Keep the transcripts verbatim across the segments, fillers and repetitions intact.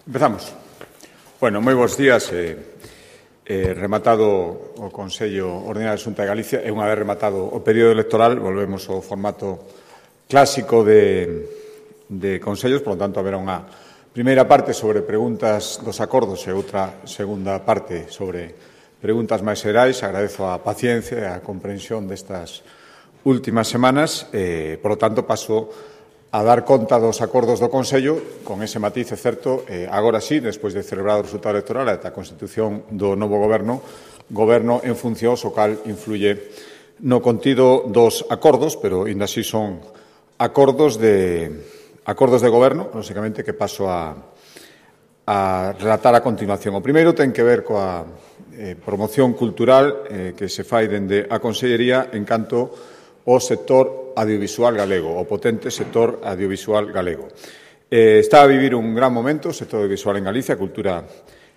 Empezamos. Bueno, moi bons días. Eh, eh, rematado o Consello Ordinario da Xunta de Galicia e unha vez rematado o período electoral volvemos ao formato clásico de, de consellos, por lo tanto haberá unha primeira parte sobre preguntas dos acordos e outra segunda parte sobre preguntas máis xerais. Agradezo a paciencia e a comprensión destas últimas semanas. Eh, por lo tanto, paso a dar conta dos acordos do Consello, con ese matiz, é certo, eh, agora sí, despois de celebrar o resultado electoral e a constitución do novo goberno, goberno en funcións, o cal influye no contido dos acordos, pero ainda así son acordos de acordos de goberno, lógicamente, que paso a, a relatar a continuación. O primeiro ten que ver coa eh, promoción cultural eh, que se fai dende a Consellería en canto o sector audiovisual galego, o potente sector audiovisual galego. Eh, está a vivir un gran momento o sector audiovisual en Galicia, a cultura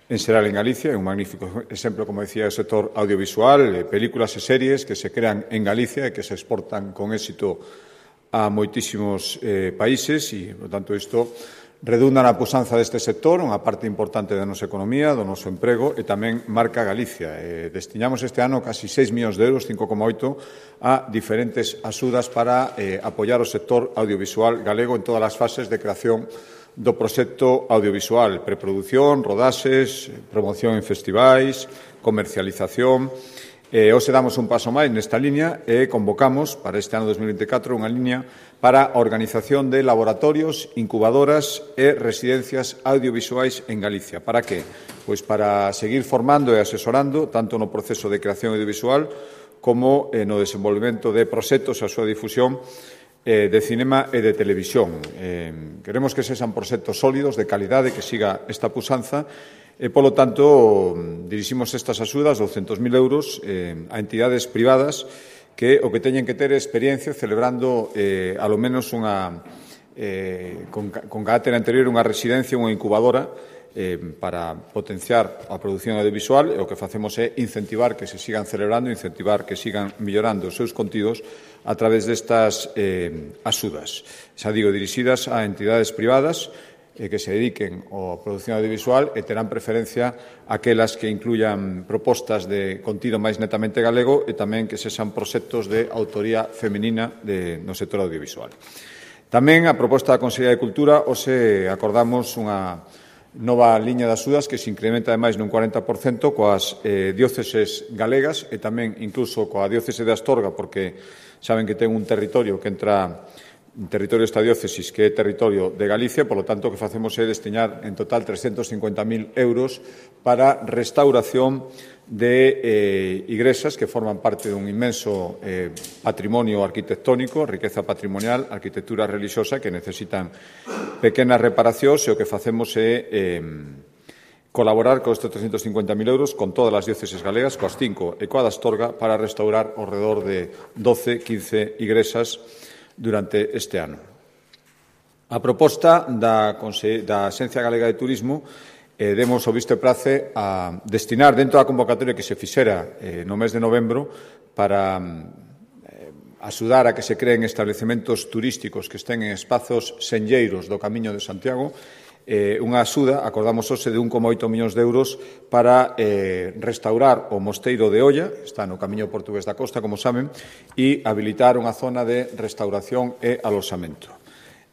en xeral en Galicia, é un magnífico exemplo, como decía, o sector audiovisual, eh, películas e series que se crean en Galicia e que se exportan con éxito a moitísimos eh, países e, por tanto, isto redunda na puxanza deste sector, unha parte importante da nosa economía, do noso emprego e tamén marca Galicia. Eh, destinamos este ano casi seis millóns de euros, cinco coma oito, a diferentes axudas para eh, apoiar o sector audiovisual galego en todas as fases de creación do proxecto audiovisual, preproducción, rodaxes, promoción en festivais, comercialización. Eh, hoxe damos un paso máis nesta liña e convocamos para este ano dos mil veinticatro unha liña para a organización de laboratorios, incubadoras e residencias audiovisuais en Galicia. Para que? Pois para seguir formando e asesorando tanto no proceso de creación audiovisual como eh, no desenvolvemento de proxectos a súa difusión eh, de cinema e de televisión. Eh, queremos que sexan proxectos sólidos, de calidade, que siga esta puxanza. E, polo tanto, diriximos estas axudas, douscentos mil euros, eh, a entidades privadas que o que teñen que ter experiencia celebrando, eh, alo menos, unha, eh, con, con carácter anterior, unha residencia, unha incubadora, eh, para potenciar a produción audiovisual, e o que facemos é incentivar que se sigan celebrando, incentivar que sigan mellorando os seus contidos a través destas eh, axudas. Xa digo, dirixidas a entidades privadas, que se dediquen á produción audiovisual e terán preferencia aquelas que incluyan propostas de contido máis netamente galego e tamén que sexan proxectos de autoría feminina de, no sector audiovisual. Tamén a proposta da Consellería de Cultura, hoxe acordamos unha nova liña de axudas que se incrementa ademais nun cuarenta por cento coas eh, dióceses galegas e tamén incluso coa diócese de Astorga, porque saben que ten un territorio que entra un territorio esta diócesis que é territorio de Galicia, polo tanto, o que facemos é destinar en total trescentos cincuenta mil euros para restauración de eh, igrexas que forman parte dun inmenso eh, patrimonio arquitectónico, riqueza patrimonial, arquitectura religiosa que necesitan pequenas reparacións e o que facemos é eh, colaborar con estes trescentos cincuenta mil euros con todas as dióceses galegas, coas cinco e coa da Astorga, para restaurar ao redor de doce, quince igrexas durante este ano. A proposta da, da Axencia Galega de Turismo eh, demos o visto e prace a destinar dentro da convocatoria que se fixera eh, no mes de novembro para eh, axudar a que se creen establecementos turísticos que estén en espazos senlleiros do Camiño de Santiago, eh, unha axuda, acordamos hoxe, de un coma oito millóns de euros para eh, restaurar o Mosteiro de Olla, está no Camiño Portugués da Costa, como saben, e habilitar unha zona de restauración e aloxamento.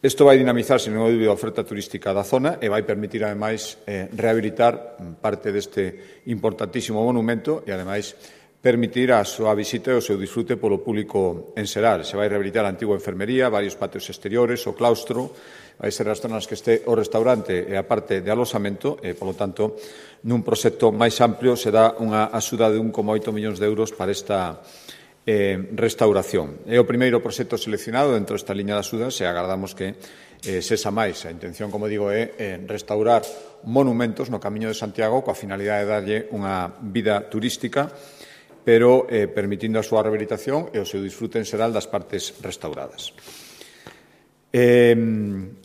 Isto vai dinamizar, sen ninguna dúbida, a oferta turística da zona e vai permitir, ademais, eh, rehabilitar parte deste importantísimo monumento e, ademais, permitir a súa visita e o seu disfrute polo público en xeral. Se vai rehabilitar a antigua enfermería, varios patios exteriores, o claustro, vai ser as zonas que este o restaurante e a parte de aloxamento e, polo tanto, nun proxecto máis amplio se dá unha axuda de un coma oito millóns de euros para esta eh, restauración. É o primeiro proxecto seleccionado dentro desta liña de axudas e agardamos que eh, sexa máis. A intención, como digo, é eh, restaurar monumentos no Camiño de Santiago coa finalidade de darlle unha vida turística, pero eh, permitindo a súa rehabilitación e o seu disfrute en xeral das partes restauradas. Eh,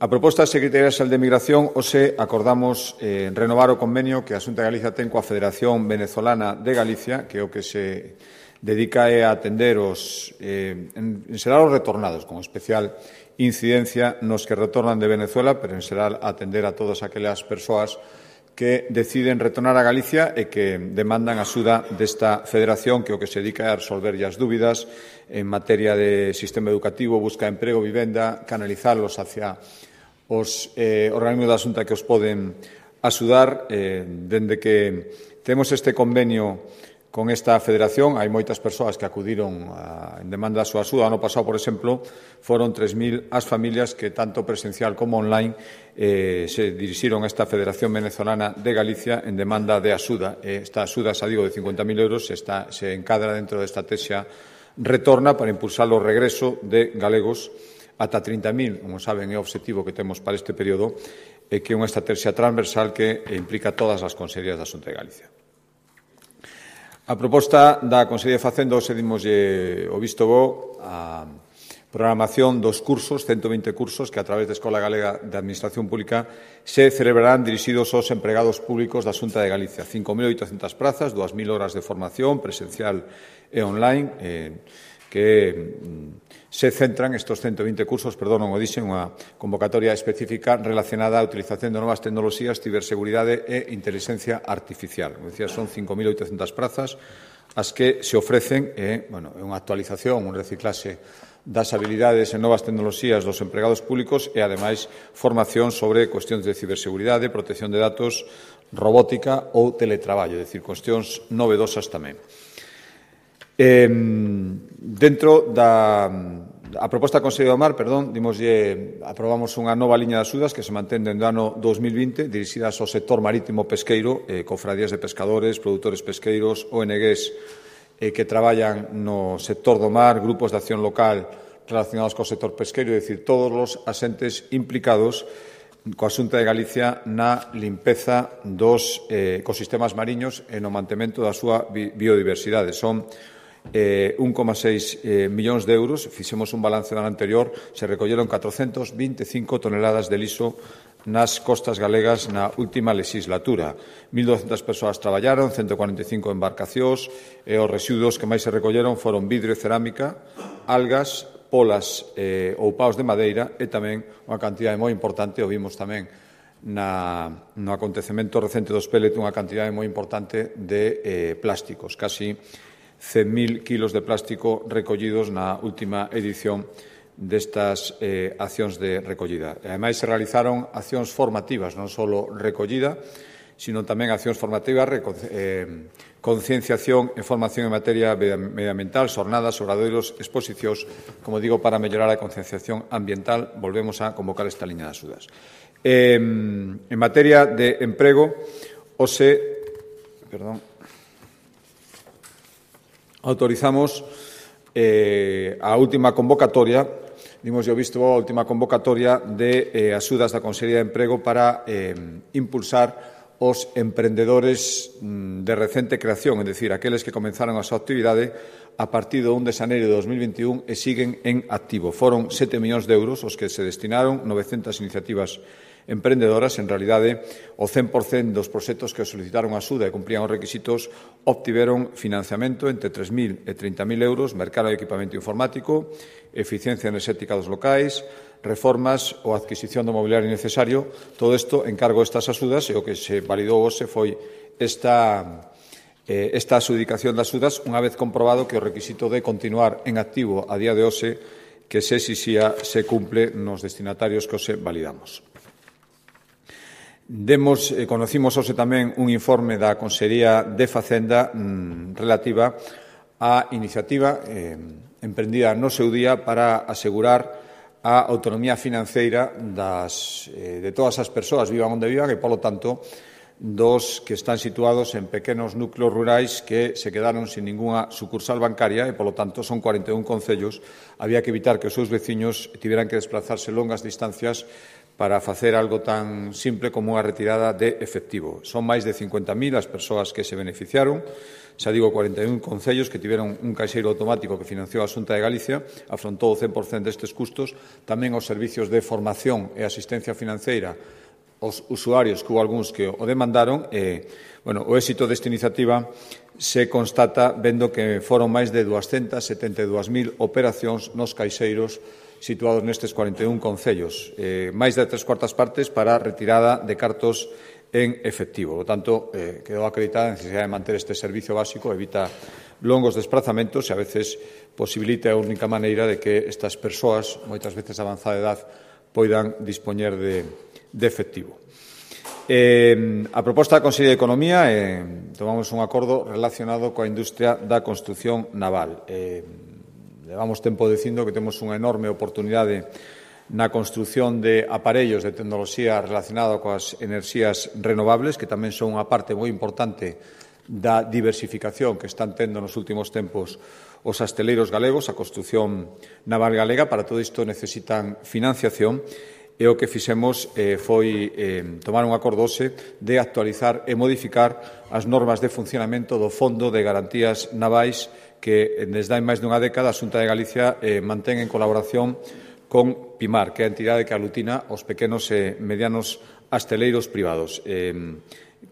a proposta da Secretaría Xeral de Migración, hoxe acordamos eh, renovar o convenio que a Xunta de Galicia ten coa Federación Venezolana de Galicia, que é o que se dedica a atender os, eh, en, en xeral os retornados, con especial incidencia nos que retornan de Venezuela, pero en xeral atender a todas aquelas persoas que deciden retornar a Galicia e que demandan a axuda desta federación que o que se dedica é a resolver as dúbidas en materia de sistema educativo, busca de emprego, vivenda, canalizalos hacia os eh, organismos da Xunta que os poden axudar. Eh, dende que temos este convenio con esta federación, hai moitas persoas que acudiron a, en demanda da súa axuda. Ano pasado, por exemplo, foron tres mil as familias que, tanto presencial como online, eh, se dirixiron a esta Federación Venezolana de Galicia en demanda de axuda. Esta axuda, xa digo, de cincuenta mil euros, está, se encadra dentro desta estrategia Retorna para impulsar o regreso de galegos ata trinta mil, como saben, é o obxectivo que temos para este período, e que é unha estrategia transversal que implica todas as consellerías da Xunta de Galicia. A proposta da Consellería de Facenda, hoxe dimoslle o visto bo a programación dos cursos, ciento vinte cursos que a través da Escola Galega de Administración Pública se celebrarán dirixidos aos empregados públicos da Xunta de Galicia. cinco mil oitocentas prazas, dúas mil horas de formación presencial e online, eh, que se centran estes ciento vinte cursos, perdón, non o dixen, unha convocatoria específica relacionada á utilización de novas tecnoloxías, ciberseguridade e inteligencia artificial. Como decía, son cinco mil oitocentas prazas as que se ofrecen, e, bueno, é unha actualización, un reciclaxe das habilidades en novas tecnoloxías dos empregados públicos e, ademais, formación sobre cuestións de ciberseguridade, protección de datos, robótica ou teletraballo, é dicir, cuestións novedosas tamén. Eh, dentro da a proposta da Consellería do Mar, perdón, dimoslle, aprobamos unha nova liña de axudas que se mantén dende o ano dos mil vinte, dirixidas ao sector marítimo pesqueiro, eh, cofradías de pescadores, produtores pesqueiros, O N Gs eh, que traballan no sector do mar, grupos de acción local relacionados co sector pesqueiro, é dicir, todos os asentes implicados coa Xunta de Galicia na limpeza dos eh, ecosistemas mariños e no mantemento da súa bi biodiversidade. Son Eh, un coma seis eh, millóns de euros, fixemos un balance do ano anterior, se recolleron catrocentas vinte e cinco toneladas de liso nas costas galegas na última legislatura. mil douscentas persoas traballaron, ciento cuarenta e cinco embarcacións, e os residuos que máis se recolleron foron vidro e cerámica, algas, polas eh, ou paus de madeira e tamén unha cantidade moi importante, o vimos tamén na, no acontecemento recente dos pellet, unha cantidade moi importante de eh, plásticos, casi cen mil kilos de plástico recollidos na última edición destas eh, accións de recollida. E, ademais, se realizaron accións formativas, non só recollida, sino tamén accións formativas, eh, concienciación e formación en materia medioambiental, xornadas, obradoiros, exposicións, como digo, para mellorar a concienciación ambiental. Volvemos a convocar esta liña de axudas. Eh, en materia de emprego, hoxe, perdón, autorizamos eh, a última convocatoria, dimos yo visto a última convocatoria de eh, axudas da Consellería de Emprego para eh, impulsar os emprendedores mm, de recente creación, é dicir, aqueles que comenzaron a súa actividade a partir do un de xaneiro de dos mil vinte e un e siguen en activo. Foron sete millóns de euros os que se destinaron, novecentas iniciativas emprendedoras. En realidade, o cen por cento dos proxectos que solicitaron axuda e cumprían os requisitos obtiveron financiamento entre tres mil e trinta mil euros, mercado de equipamento informático, eficiencia enerxética dos locais, reformas ou adquisición do mobiliario necesario. Todo isto encargo estas axudas, e o que se validou hoxe foi esta, eh, esta adjudicación das axudas, unha vez comprobado que o requisito de continuar en activo a día de hoxe que se exixía se cumple nos destinatarios que hoxe validamos. Demos, eh, conocimos hoxe tamén un informe da Consellería de Facenda mmm, relativa á iniciativa eh, emprendida no seu día para asegurar a autonomía financeira das, eh, de todas as persoas, vivan onde vivan, e, polo tanto, dos que están situados en pequenos núcleos rurais que se quedaron sin ningunha sucursal bancaria e, polo tanto, son cuarenta e un concellos. Había que evitar que os seus veciños tiveran que desplazarse longas distancias para facer algo tan simple como unha retirada de efectivo. Son máis de cincuenta mil as persoas que se beneficiaron. Xa digo, cuarenta e un concellos que tiveron un caixeiro automático que financiou a Xunta de Galicia, afrontou o cen por cento destes custos, tamén os servicios de formación e asistencia financeira os usuarios, que hubo algúns que o demandaron. E, bueno, o éxito desta iniciativa se constata vendo que foron máis de doscientas setenta e dúas mil operacións nos caixeiros situados nestes cuarenta e un concellos, eh, máis de tres cuartas partes para retirada de cartos en efectivo. Por tanto, eh, quedou acreditada a necesidade de manter este servicio básico, evita longos desplazamentos e a veces posibilita a única maneira de que estas persoas, moitas veces de avanzada edad, poidan dispoñer de, de efectivo. Eh, a proposta da Consellería de Economía, eh, tomamos un acordo relacionado coa industria da construción naval. Eh, levamos tempo dicindo que temos unha enorme oportunidade na construción de aparellos de tecnoloxía relacionada coas enerxías renovables, que tamén son unha parte moi importante da diversificación que están tendo nos últimos tempos os asteleiros galegos, a construción naval galega. Para todo isto necesitan financiación e o que fixemos eh, foi eh, tomar un acordo hoxe de actualizar e modificar as normas de funcionamento do Fondo de Garantías Navais que desde hai máis dunha década a Xunta de Galicia eh, mantén en colaboración con PIMAR, que é a entidade que aglutina os pequenos e medianos asteleiros privados. Eh,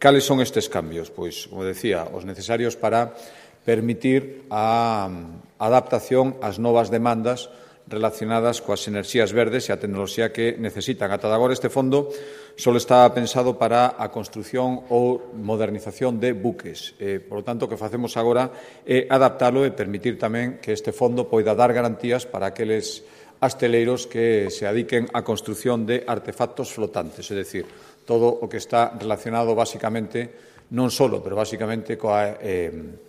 cales son estes cambios? Pois, como decía, os necesarios para permitir a adaptación ás novas demandas relacionadas coas enerxías verdes e a tecnoloxía que necesitan. Ata agora este fondo só está pensado para a construción ou modernización de buques. Eh, por lo tanto, o que facemos agora é adaptalo e permitir tamén que este fondo poida dar garantías para aqueles asteleiros que se adiquen á construción de artefactos flotantes, é dicir, todo o que está relacionado basicamente, non só, pero basicamente coa eh,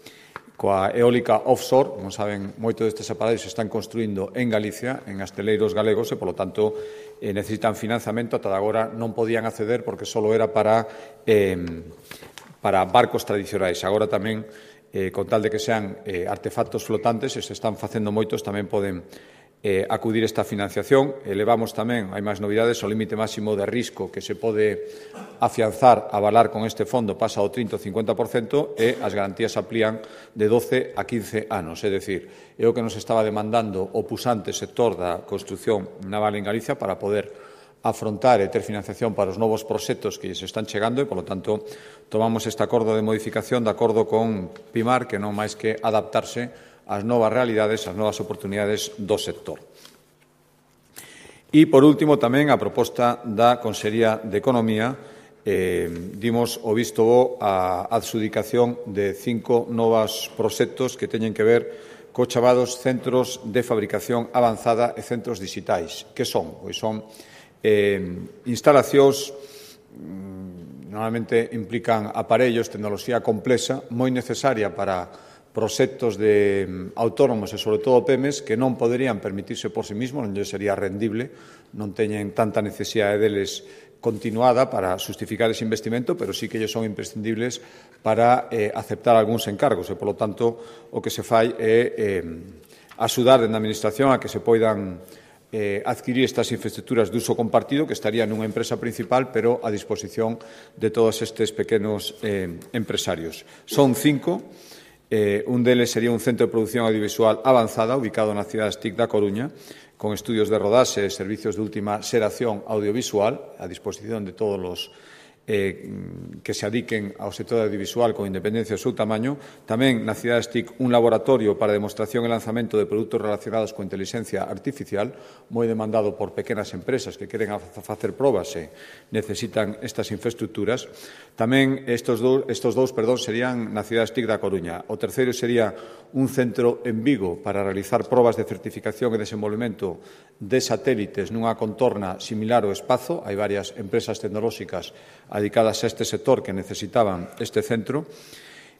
coa eólica offshore. Como saben, moitos destes aparellos se están construindo en Galicia, en asteleiros galegos, e, polo tanto, eh, necesitan financiamento. Ata agora non podían acceder porque só era para, eh, para barcos tradicionais. Agora tamén, eh, con tal de que sean eh, artefactos flotantes, e se están facendo moitos, tamén poden eh, acudir esta financiación. Elevamos tamén, hai máis novidades, o límite máximo de risco que se pode afianzar, avalar con este fondo pasa ao trinta ou cincuenta por cento e as garantías amplían de doce a quince anos. É dicir, é o que nos estaba demandando o pusante sector da construción naval en Galicia para poder afrontar e ter financiación para os novos proxectos que se están chegando e, polo tanto, tomamos este acordo de modificación de acordo con PIMAR, que non máis que adaptarse ás novas realidades, ás novas oportunidades do sector. E, por último, tamén a proposta da Consellería de Economía, eh, dimos o visto bo a adxudicación de cinco novos proxectos que teñen que ver co chamados centros de fabricación avanzada e centros digitais. Que son? Pois son eh, instalacións, normalmente implican aparellos, tecnoloxía complexa, moi necesaria para proxectos de autónomos e, sobre todo, pemes que non poderían permitirse por sí mismos, non lle sería rendible, non teñen tanta necesidade deles continuada para justificar ese investimento, pero sí que lle son imprescindibles para eh, aceptar algúns encargos e, polo tanto, o que se fai é eh, axudar dende a Administración a que se poidan eh, adquirir estas infraestructuras de uso compartido que estarían nunha empresa principal, pero a disposición de todos estes pequenos eh, empresarios. Son cinco. Eh, un deles sería un centro de producción audiovisual avanzada ubicado na cidade TIC da Coruña, con estudios de rodaxe e servicios de última xeración audiovisual a disposición de todos os eh, que se adiquen ao sector audiovisual con independencia do seu tamaño. Tamén na cidade TIC un laboratorio para demostración e lanzamento de produtos relacionados con inteligencia artificial, moi demandado por pequenas empresas que queren facer probas e necesitan estas infraestructuras. Tamén estos dous, estos dous perdón, serían na cidade TIC da Coruña. O terceiro sería un centro en Vigo para realizar probas de certificación e desenvolvemento de satélites nunha contorna similar ao espazo. Hai varias empresas tecnolóxicas dedicadas a este sector que necesitaban este centro.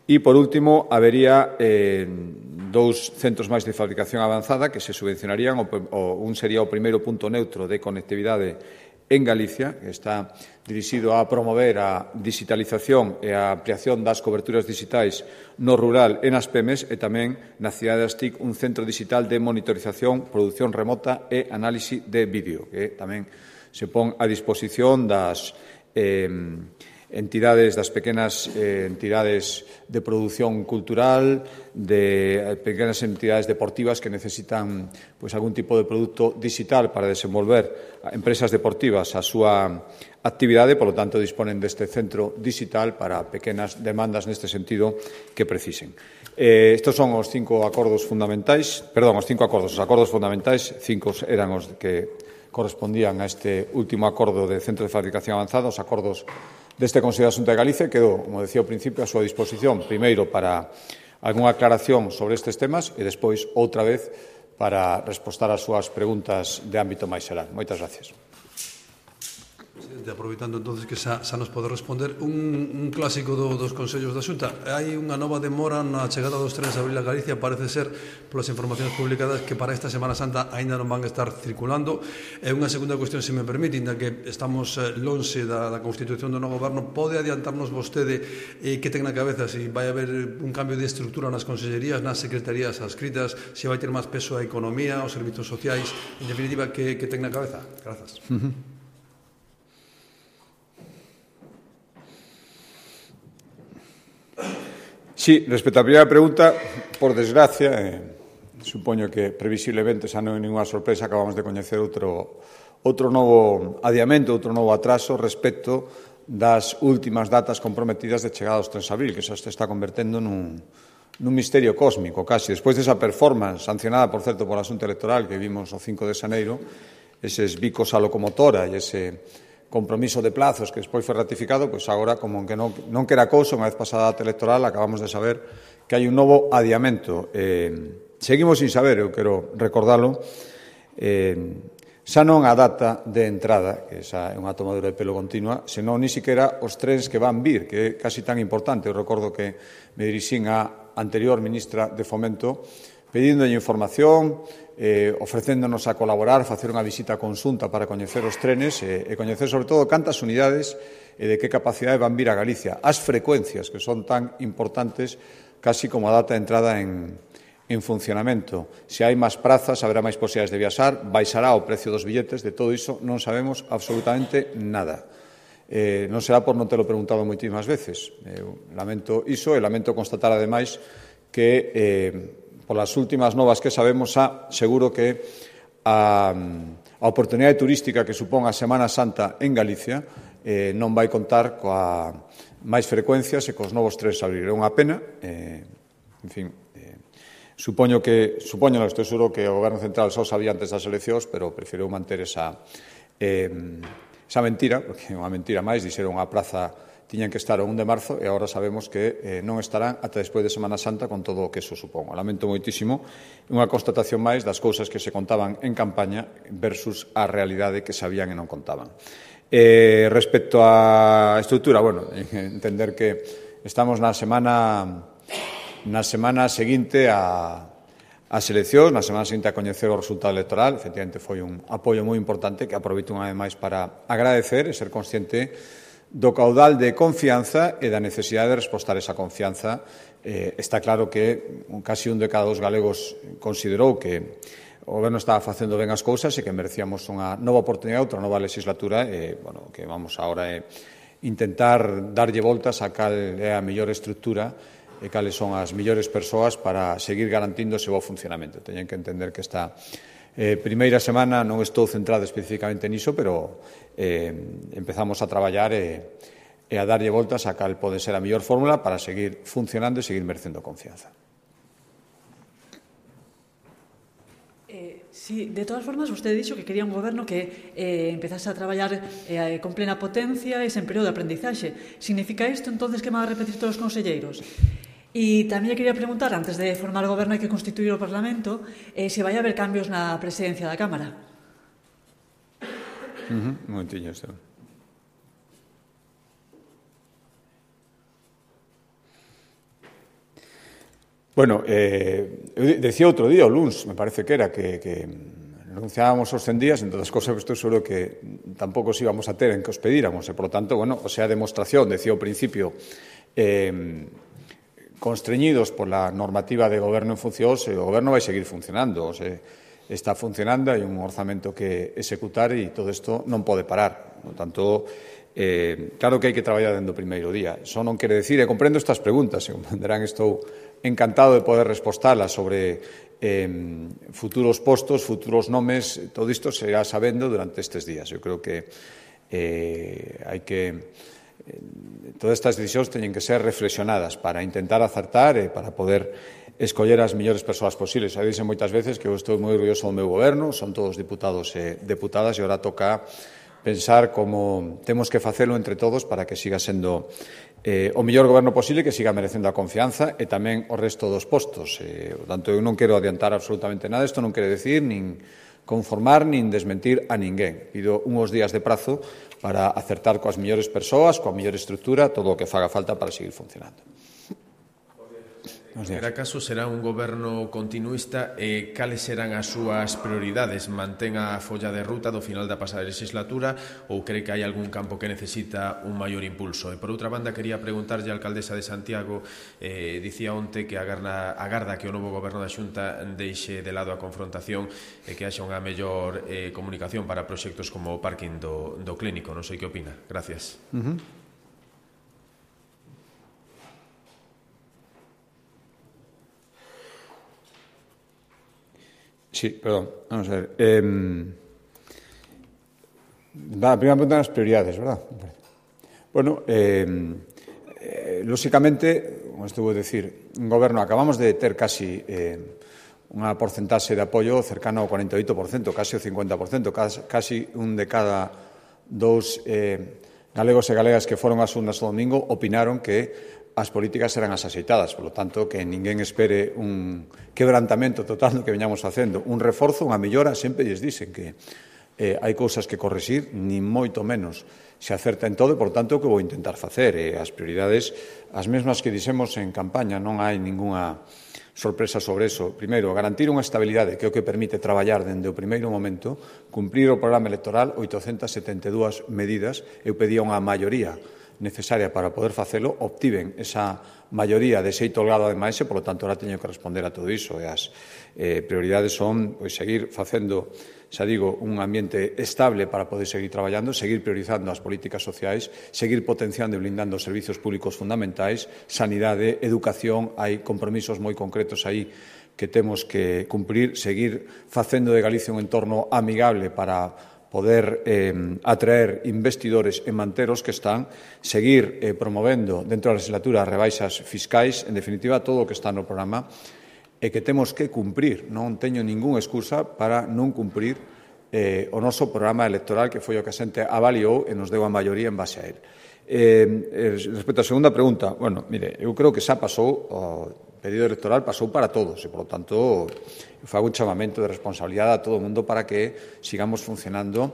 E, por último, habería eh, dous centros máis de fabricación avanzada que se subvencionarían. O, o, un sería o primeiro punto neutro de conectividade en Galicia, que está dirixido a promover a digitalización e a ampliación das coberturas digitais no rural e nas pemes, e tamén na cidade das TIC un centro digital de monitorización, produción remota e análise de vídeo, que tamén se pon a disposición das eh, entidades, das pequenas eh, entidades de produción cultural, de pequenas entidades deportivas que necesitan pois, algún tipo de produto digital para desenvolver a empresas deportivas a súa actividade, polo tanto, disponen deste centro digital para pequenas demandas neste sentido que precisen. Eh, estes son os cinco acordos fundamentais, perdón, os cinco acordos, os acordos fundamentais, cinco eran os que correspondían a este último acordo de Centro de Fabricación Avanzada, os acordos deste Consello da Xunta de Galicia, quedou, como decía ao principio, a súa disposición, primeiro para algunha aclaración sobre estes temas e despois, outra vez, para respostar ás súas preguntas de ámbito máis xeral. Moitas gracias. Presidente, aproveitando entonces que xa, xa nos pode responder un, un clásico do, dos Consellos da Xunta. Hai unha nova demora na chegada dos trenes a Abril a Galicia, parece ser, polas informacións publicadas, que para esta Semana Santa aínda non van a estar circulando. E unha segunda cuestión, se me permite, inda que estamos lonxe da, da constitución do novo goberno, pode adiantarnos vostede eh, que ten na cabeza se vai haber un cambio de estrutura nas consellerías, nas secretarías adscritas, se vai ter máis peso a economía, os servizos sociais, en definitiva, que, que ten na cabeza? Grazas. Uh-huh. Sí, respecto á primeira pregunta, por desgracia, eh, supoño que previsiblemente xa non é ninguna sorpresa, acabamos de coñecer outro, outro novo adiamento, outro novo atraso respecto das últimas datas comprometidas de chegada aos trens de abril, que xa se está convertendo nun, nun misterio cósmico, casi. Despois desa performance, sancionada, por certo, pola Xunta Electoral, que vimos o cinco de xaneiro, eses bicos a locomotora e ese compromiso de plazos que despois foi ratificado, pois agora, como que non, non que era cousa, unha vez pasada a data electoral, acabamos de saber que hai un novo adiamento. Eh, seguimos sin saber, eu quero recordalo, eh, xa non a data de entrada, que esa é unha tomadura de pelo continua, senón ni siquiera os trens que van vir, que é casi tan importante. Eu recordo que me dirixín á anterior ministra de Fomento pedíndolle información, eh, ofrecéndonos a colaborar, facer unha visita conxunta para coñecer os trenes e, e coñecer, sobre todo, cantas unidades e de que capacidade van vir a Galicia. As frecuencias, que son tan importantes casi como a data de entrada en, en funcionamento. Se hai máis prazas, haberá máis posibilidades de viaxar, baixará o precio dos billetes, de todo iso non sabemos absolutamente nada. Eh, non será por non telo preguntado moitísimas veces. Eh, lamento iso e lamento constatar, ademais, que eh, polas últimas novas que sabemos, xa seguro que a, a oportunidade turística que supón a Semana Santa en Galicia eh, non vai contar coa máis frecuencias e cos novos trens a abrir. É unha pena, eh, en fin, eh, supoño que, supoño, non estou seguro que o Goberno Central só sabía antes das eleccións, pero preferiu manter esa, eh, esa mentira, porque é unha mentira máis, dixeron a praza tiñan que estar o un de marzo e agora sabemos que eh, non estarán ata despois de Semana Santa con todo o que eso supón. O lamento moitísimo, unha constatación máis das cousas que se contaban en campaña versus a realidade que sabían e non contaban. Eh, respecto á estrutura, bueno, entender que estamos na semana na semana seguinte a as eleccións, na semana seguinte a coñecer o resultado electoral. Efectivamente, foi un apoio moi importante que aproveito unha vez máis para agradecer e ser consciente do caudal de confianza e da necesidade de respostar esa confianza. Eh, está claro que casi un de cada dos galegos considerou que o Goberno estaba facendo ben as cousas e que merecíamos unha nova oportunidade, outra nova legislatura, e, bueno, que vamos agora é intentar darlle voltas a cal é a mellor estructura e cales son as mellores persoas para seguir garantindo ese bo funcionamento. Teñen que entender que esta eh, primeira semana non estou centrado especificamente niso, pero eh, empezamos a traballar e, e a darlle voltas a cal pode ser a mellor fórmula para seguir funcionando e seguir merecendo confianza. Eh, sí, de todas formas, vostede dixo que quería un goberno que eh, empezase a traballar eh, con plena potencia e sen período de aprendizaxe. Significa isto, entonces, que van a repetir todos os conselleiros? E tamén quería preguntar, antes de formar o goberno hai que constituir o Parlamento, eh, se vai haber cambios na presidencia da Cámara. Uh-huh. Un momentinho, Esteban. Bueno, eh, eu decía outro día, o luns, me parece que era, que, que renunciábamos aos cen días, en todas as cosas que estou seguro que tampouco os íbamos a ter en que os pedíramos, e, por lo tanto, bueno, o sea, demostración, decía ao principio, eh, constreñidos pola normativa de goberno en funcións, o goberno vai seguir funcionando, o sea, está funcionando, hai un orzamento que executar e todo isto non pode parar. Por tanto, Eh, claro que hai que traballar dende o primeiro día. Só non quere decir, e comprendo estas preguntas, e comprenderán, estou encantado de poder respostalas sobre eh, futuros postos, futuros nomes, todo isto se irá sabendo durante estes días. Eu creo que eh, hai que... Eh, todas estas decisións teñen que ser reflexionadas para intentar acertar e para poder escoller as mellores persoas posibles. Xa dixen moitas veces que eu estou moi orgulloso do meu goberno, son todos diputados e deputadas, e agora toca pensar como temos que facelo entre todos para que siga sendo eh, o mellor goberno posible, que siga merecendo a confianza e tamén o resto dos postos. Eh, por tanto, eu non quero adiantar absolutamente nada. Isto non quere decir nin conformar nin desmentir a ninguén. Pido uns días de prazo para acertar coas mellores persoas, coa mellor estrutura, todo o que faga falta para seguir funcionando. Será caso será un goberno continuista e cales serán as súas prioridades? Mantén a folla de ruta do final da pasada legislatura ou cree que hai algún campo que necesita un maior impulso? E por outra banda, quería preguntarlle á alcaldesa de Santiago, eh, dicía onte que agarda, agarda que o novo goberno da Xunta deixe de lado a confrontación e que haxa unha mellor eh, comunicación para proxectos como o parking do, do clínico. Non sei que opina. Gracias. Uh-huh. Sí, perdón, vamos a ver. Eh, va, a primera pregunta das prioridades, verdad? Bueno, eh, eh, lóxicamente, como estuvo a decir, un goberno, acabamos de ter casi eh, unha porcentaxe de apoio cercano ao cuarenta e oito por cento, casi o cincuenta por cento, casi un de cada dous eh, galegos e galegas que foron ás urnas o domingo opinaron que as políticas eran as axeitadas, por lo tanto, que ninguén espere un quebrantamento total do que veñamos facendo, un reforzo, unha mellora, sempre lles dicen que eh, hai cousas que correxir, nin moito menos se acerta en todo, e, por tanto, o que vou intentar facer, eh, as prioridades, as mesmas que dixemos en campaña, non hai ningunha sorpresa sobre eso. Primeiro, garantir unha estabilidade que é o que permite traballar dende o primeiro momento, cumprir o programa electoral, oitocentas setenta e dúas medidas, eu pedía unha maioría necesaria para poder facelo, obtiven esa maioría de xeito holgado ademais e, polo tanto, ahora teño que responder a todo iso. E as eh, prioridades son pois, seguir facendo, xa digo, un ambiente estable para poder seguir traballando, seguir priorizando as políticas sociais, seguir potenciando e blindando os servizos públicos fundamentais, sanidade, educación, hai compromisos moi concretos aí que temos que cumprir, seguir facendo de Galicia un entorno amigable para poder eh, atraer investidores e manteros que están, seguir eh, promovendo dentro da legislatura rebaixas fiscais, en definitiva, todo o que está no programa e que temos que cumprir. Non teño ningunha excusa para non cumprir eh, o noso programa electoral, que foi o que a xente avaliou e nos deu a maioría en base a él. Eh, respecto á segunda pregunta, bueno, mire, eu creo que xa pasou o período electoral, pasou para todos e, por lo tanto, fago un chamamento de responsabilidade a todo o mundo para que sigamos funcionando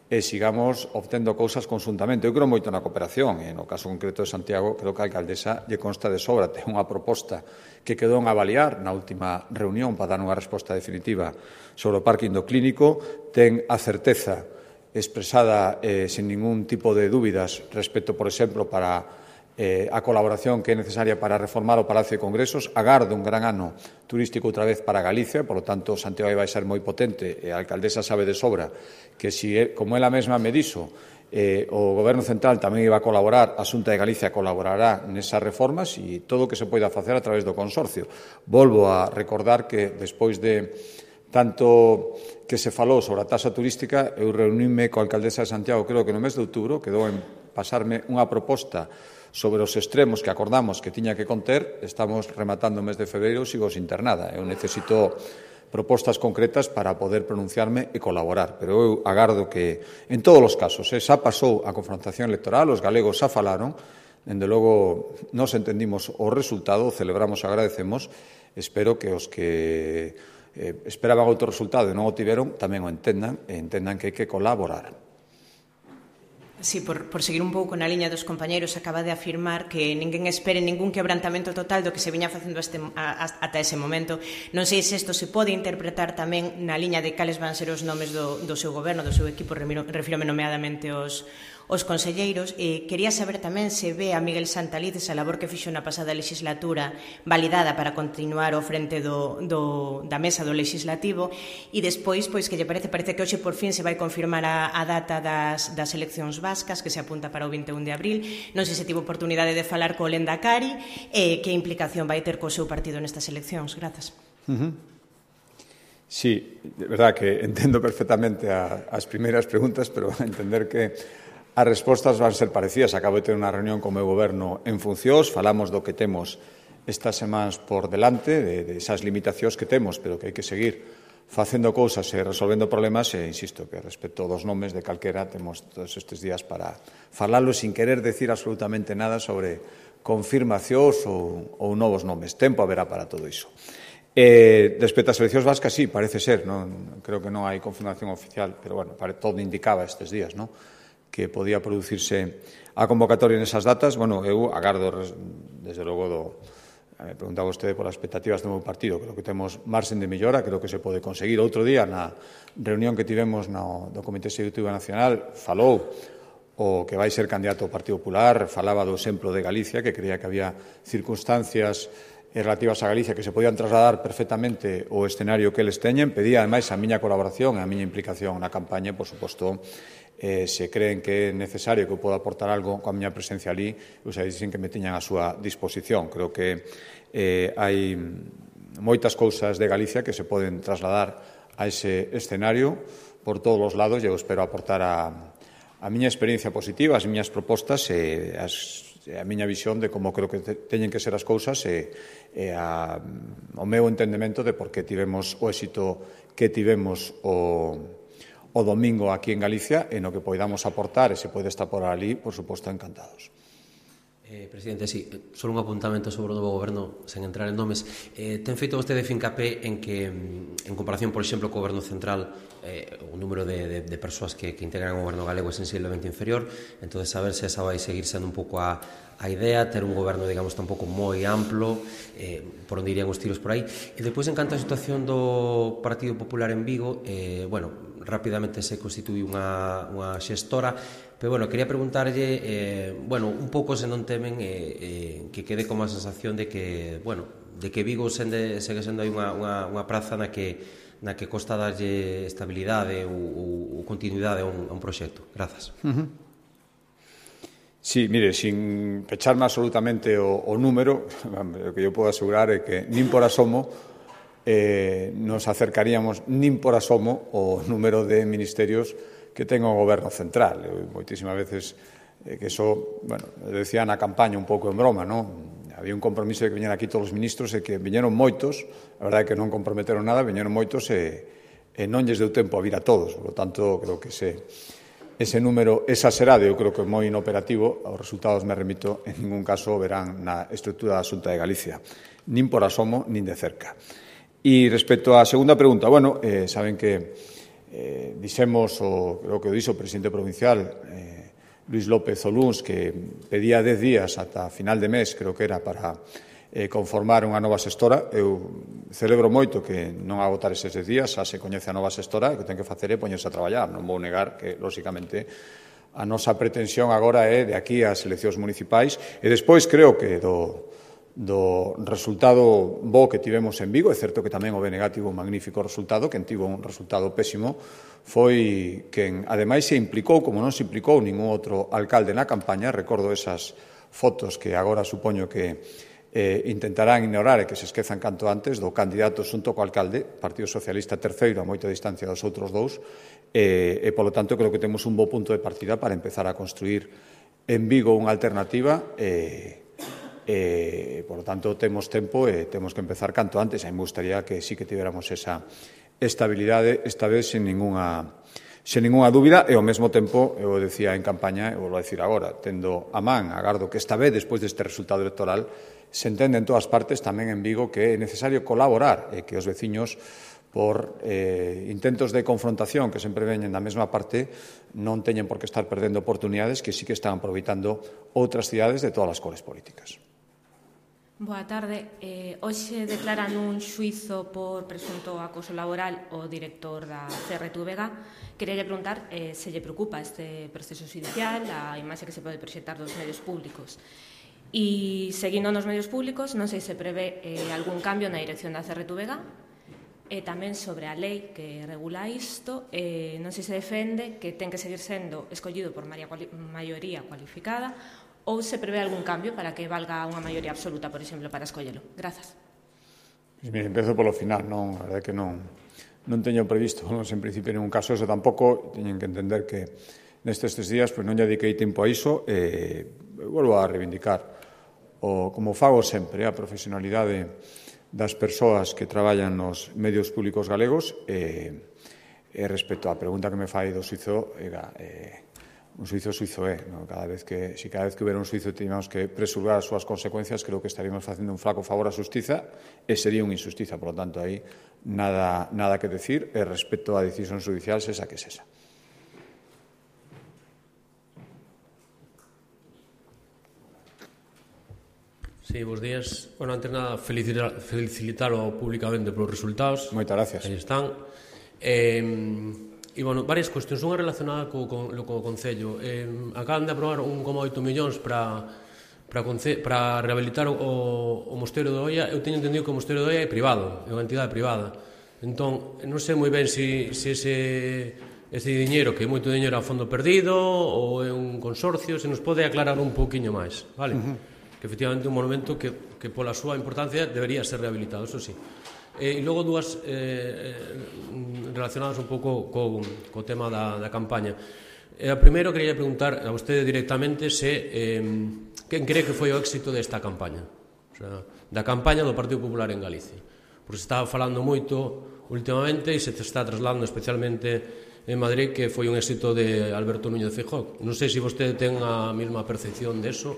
e sigamos obtendo cousas conjuntamente. Eu creo moito na cooperación e, no caso concreto de Santiago, creo que a alcaldesa lle consta de sobra. Ten unha proposta que quedou en avaliar na última reunión para dar unha resposta definitiva sobre o parking do clínico. Ten a certeza expresada eh, sin ningún tipo de dúbidas respecto, por exemplo, para Eh, a colaboración que é necesaria para reformar o Palacio de Congresos. Agardo un gran ano turístico outra vez para Galicia, por lo tanto, Santiago vai ser moi potente e a alcaldesa sabe de sobra que, si, como ela mesma me dixo, eh, o Goberno Central tamén iba a colaborar, a Xunta de Galicia colaborará nesas reformas e todo o que se poida facer a través do consorcio. Volvo a recordar que, despois de tanto que se falou sobre a taxa turística, eu reuníme coa alcaldesa de Santiago, creo que no mes de outubro, quedou en pasarme unha proposta sobre os extremos que acordamos que tiña que conter. Estamos rematando o mes de febreiro, sigo sin ter nada. Eu necesito propostas concretas para poder pronunciarme e colaborar. Pero eu agardo que, en todos os casos, eh, xa pasou a confrontación electoral, os galegos xa falaron, dende logo nos entendimos o resultado, o celebramos e agradecemos. Espero que os que eh, esperaban outro resultado e non o tiveron tamén o entendan e entendan que hai que colaborar. Sí, por, por seguir un pouco na liña dos compañeiros, acaba de afirmar que ninguén espere ningún quebrantamento total do que se viña facendo este, a, a, ata ese momento. Non sei se isto se pode interpretar tamén na liña de cales van ser os nomes do, do seu goberno, do seu equipo, refírome nomeadamente os, os conselleiros. Eh, quería saber tamén se ve a Miguel Santaliz esa labor que fixo na pasada legislatura validada para continuar ao frente do, do, da mesa do legislativo, e despois, pois, que lle parece, parece que hoxe por fin se vai confirmar a, a data das, das eleccións vascas, que se apunta para o vinte e un de abril. Non sei se tivo oportunidade de falar co Lendakari, e eh, que implicación vai ter co seu partido nestas eleccións. Grazas. Uh-huh. Sí, de verdad que entendo perfectamente a, as primeiras preguntas, pero a entender que as respostas van ser parecidas. Acabo de ter unha reunión co meu goberno en funcións, falamos do que temos estas semanas por delante, de, de esas limitacións que temos, pero que hai que seguir facendo cousas e resolvendo problemas, e insisto que respecto dos nomes de calquera temos todos estes días para falalo sin querer decir absolutamente nada sobre confirmacións ou, ou novos nomes. Tempo haberá para todo iso. Eh, respecto ás eleccións vascas, sí, parece ser, non? Creo que non hai confirmación oficial, pero bueno, todo indicaba estes días, non? Que podía producirse a convocatoria nesas datas. Bueno, eu agardo, desde logo, do, me preguntaba vostede por as expectativas do meu partido. Creo que temos marxen de mellora, creo que se pode conseguir. Outro día, na reunión que tivemos no, do Comité Executivo Nacional, falou o que vai ser candidato ao Partido Popular, falaba do exemplo de Galicia, que creía que había circunstancias relativas a Galicia que se podían trasladar perfectamente o escenario que eles teñen. Pedía, ademais, a miña colaboración e a miña implicación na campaña. Por suposto, eh, se creen que é necesario que eu poda aportar algo coa miña presencia ali, ou xa dixen que me tiñan a súa disposición. Creo que eh, hai moitas cousas de Galicia que se poden trasladar a ese escenario por todos os lados, e eu espero aportar a, a miña experiencia positiva, as miñas propostas e as a miña visión de como creo que teñen que ser as cousas e, e a, o meu entendemento de por que tivemos o éxito que tivemos o, o domingo aquí en Galicia, e no que poidamos aportar e se pode estar por ali, por suposto, encantados. Eh, Presidente, sí, só un apuntamento sobre o novo goberno, sen entrar en nomes. Eh, ten feito vostede fincapé en que, en comparación, por exemplo, co goberno central, eh, o número de, de, de persoas que, que integran o goberno galego é sensiblemente inferior, entón saber se esa vai seguir sendo un pouco a, a idea, ter un goberno, digamos, tampouco moi amplo, eh, por onde irían os tiros por aí. E depois, en canto a situación do Partido Popular en Vigo, eh, bueno, rapidamente se constituí unha, unha xestora, pero, bueno, quería preguntarlle, eh, bueno, un pouco se non temen eh, eh, que quede como a sensación de que, bueno, de que Vigo sende, segue sendo aí unha, unha, unha praza na que, na que costa darlle estabilidade ou, ou, ou continuidade a un, a un proxecto. Grazas. Uh-huh. Sí, mire, sin pecharme absolutamente o, o número, o que eu podo asegurar é que nin por asomo eh, nos acercaríamos nin por asomo o número de ministerios que ten o goberno central. Eu, moitísimas veces eh, que eso, bueno, decía na campaña un pouco en broma, non? Había un compromiso de que viñeran aquí todos os ministros e que viñeron moitos, a verdade é que non comprometeron nada, viñeron moitos e, e non lles deu tempo a vir a todos. Por lo tanto, creo que ese, ese número exagerado, eu creo que é moi inoperativo. Os resultados, me remito, en ningún caso verán na estrutura da Xunta de Galicia, nin por asomo, nin de cerca. E respecto á segunda pregunta, bueno, eh, saben que Eh, dixemos, o, creo que o dixo o presidente provincial, eh, Luis López Oluns, que pedía dez días ata final de mes, creo que era, para eh, conformar unha nova xestora. Eu celebro moito que non agotar eses dez días, xa se coñece a nova xestora, e que ten que facer é poñerse a traballar. Non vou negar que, lóxicamente, a nosa pretensión agora é de aquí ás eleccións municipais, e despois creo que do do resultado bo que tivemos en Vigo. É certo que tamén o B N G tivo un magnífico resultado, quen tivo un resultado pésimo foi quen, ademais, se implicou, como non se implicou ningún outro alcalde na campaña. Recordo esas fotos que agora supoño que eh, intentarán ignorar e que se esquezan canto antes, do candidato xunto co alcalde, Partido Socialista terceiro, a moita distancia dos outros dous, e, e polo tanto, creo que temos un bo punto de partida para empezar a construir en Vigo unha alternativa e E, por lo tanto, temos tempo e temos que empezar canto antes. A mí me gustaría que sí que tiveramos esa estabilidade, esta vez sin ninguna, sin ninguna dúbida, e ao mesmo tempo, eu decía en campaña, e vou a decir agora, tendo a man, agardo que esta vez, despois deste resultado electoral, se entende en todas partes, tamén en Vigo, que é necesario colaborar e que os veciños, por eh, intentos de confrontación que sempre veñen da mesma parte, non teñen por que estar perdendo oportunidades que sí que están aproveitando outras cidades de todas as cores políticas. Boa tarde. Eh, hoxe declaran un xuizo por presunto acoso laboral o director da C R T V G. Queria preguntar eh, se lle preocupa este proceso judicial, a imaxe que se pode proxectar dos medios públicos. E, seguindo nos medios públicos, non sei se prevé eh, algún cambio na dirección da C R T V G. E tamén sobre a lei que regula isto, eh, non sei se defende que ten que seguir sendo escollido por maioría cualificada ou se prevé algún cambio para que valga unha maioría absoluta, por exemplo, para escollelo. Grazas. Mire, empezo polo final, non, a verdade que non, non teño previsto, non en principio ningún caso eso tampouco, teñen que entender que nestes tres días pues, non lle dediquei tempo a iso, e eh, volvo a reivindicar, o, como fago sempre, a profesionalidade das persoas que traballan nos medios públicos galegos, e eh, eh, respecto á pregunta que me fai do suizo, era... Eh, un suizo suizo é, no? Cada vez que, si cada vez que hubiera un suizo teníamos que preservar as súas consecuencias, creo que estaríamos facendo un flaco favor á xustiza e sería unha injustiza, por lo tanto, aí nada, nada que decir e respecto á decisión judicial, esa que es esa. Sí, bons días. Bueno, antes nada, felicitar, felicitalo públicamente polos resultados. Moitas gracias. Aí están. Eh, E, bueno, varias cuestións. Unha relacionada co, co, co Concello. Eh, acaban de aprobar un coma oito millóns para, para, para rehabilitar o, o Mosteiro de Oia. Eu teño entendido que o Mosteiro de Oia é privado, é unha entidade privada. Entón, non sei moi ben se si, si ese, ese diñeiro, que é moito diñeiro a fondo perdido, ou é un consorcio, se nos pode aclarar un pouquiño máis, vale? Uh-huh. Que efectivamente é un monumento que, que pola súa importancia debería ser rehabilitado, eso sí. E logo dúas eh, relacionadas un pouco co, co tema da, da campaña. E a primeiro quería preguntar a vostede directamente se eh, quen cree que foi o éxito desta campaña, o sea, da campaña do Partido Popular en Galicia, porque se estaba falando moito últimamente e se está trasladando especialmente en Madrid que foi un éxito de Alberto Núñez Feijóo. Non sei se vostede ten a mesma percepción de eso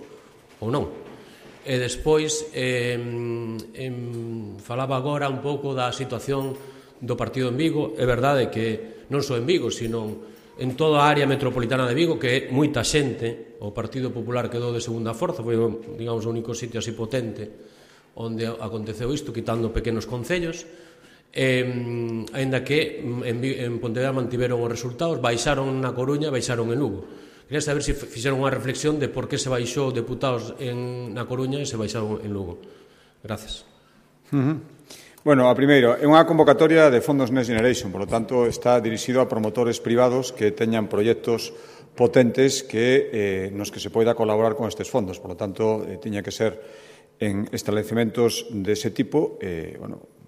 ou non. E despois eh, em, falaba agora un pouco da situación do partido en Vigo. É verdade que non só en Vigo, sino en toda a área metropolitana de Vigo, que é moita xente, o Partido Popular quedou de segunda forza, foi, digamos, o único sitio así potente onde aconteceu isto, quitando pequenos concellos, eh, aínda que en, en Pontevedra mantiveron os resultados, baixaron na Coruña, baixaron en Lugo. Quería saber se fixeron unha reflexión de por que se baixou deputados en, na Coruña e se baixaron en Lugo. Gracias. Uh-huh. Bueno, a primeiro, é unha convocatoria de fondos Next Generation, por lo tanto, está dirixido a promotores privados que teñan proxectos potentes que, eh, nos que se poida colaborar con estes fondos. Por lo tanto, eh, tiña que ser en establecementos dese tipo. Eh, bueno,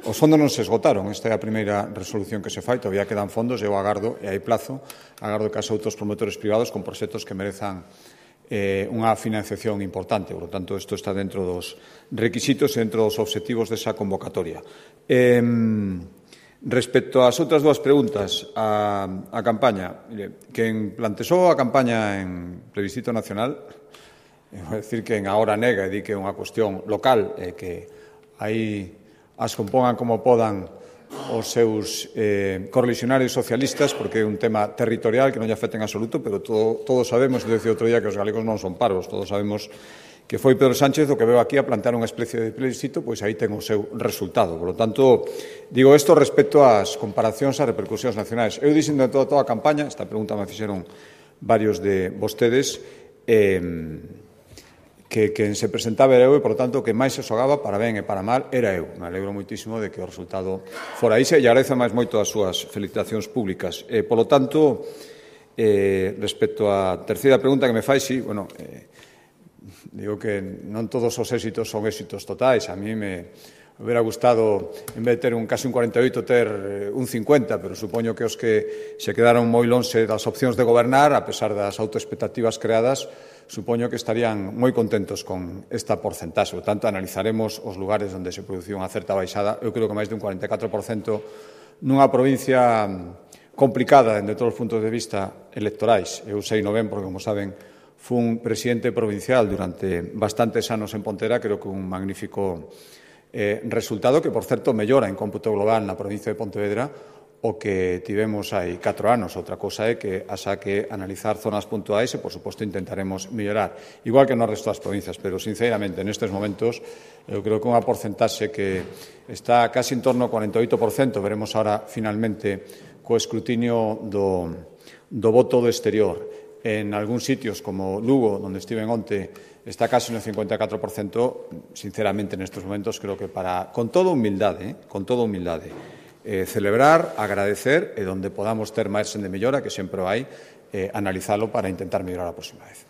os fondos non se esgotaron, esta é a primeira resolución que se fai, todavía quedan fondos, eu agardo, e hai plazo, agardo que as outros promotores privados con proxectos que merezan eh, unha financiación importante, por lo tanto, isto está dentro dos requisitos e dentro dos obxectivos desa convocatoria. Eh, respecto ás outras dúas preguntas, a, a campaña, mire, quen plantexou a campaña en plebiscito nacional, vou decir que en agora nega e di que é unha cuestión local, e que aí as compongan como podan os seus eh, correligionarios socialistas, porque é un tema territorial que non lle afecta en absoluto, pero todo, todos sabemos, eu decía outro día que os galegos non son parvos, todos sabemos que foi Pedro Sánchez o que veo aquí a plantear unha especie de plebiscito, pois aí ten o seu resultado. Por lo tanto, digo isto respecto ás comparacións e repercusións nacionais. Eu dixen de toda, toda a campaña, esta pregunta me fixeron varios de vostedes, eh, que quen se presentaba era eu e, por tanto, que máis se xogaba para ben e para mal era eu. Me alegro moitísimo de que o resultado fora iso e agradezo máis moito as súas felicitacións públicas. Eh, por lo tanto, eh, respecto á terceira pregunta que me fai, sí, bueno, eh, digo que non todos os éxitos son éxitos totais. A mí me hubiera gustado, en vez de ter un casi un cuarenta e oito, ter un cincuenta, pero supoño que os que se quedaron moi lonxe das opcións de gobernar, a pesar das autoexpectativas creadas, supoño que estarían moi contentos con esta porcentaxe. Por tanto, analizaremos os lugares onde se produciu unha certa baixada. Eu creo que máis de un cuarenta e catro por cento nunha provincia complicada desde todos os puntos de vista electorais. Eu sei non ben, porque, como saben, fun presidente provincial durante bastantes anos en Pontera, creo que un magnífico eh, resultado que, por certo, mellora en cómputo global na provincia de Pontevedra o que tivemos hai catro anos. Outra cosa é que haxa que analizar zonas puntuais e, por suposto, intentaremos mellorar, igual que no resto das provincias, pero, sinceramente, nestes momentos, eu creo que unha porcentaxe que está casi en torno ao cuarenta e oito por cento, veremos ahora, finalmente, co escrutinio do, do voto do exterior. En algúns sitios, como Lugo, onde estiven onte, está casi no cincuenta e catro por cento, sinceramente, nestes momentos, creo que para, con toda humildade, eh, con toda humildade, Eh, celebrar, agradecer e donde podamos ter máis de mellora, que sempre hai, eh, analizalo para intentar mellorar a próxima vez.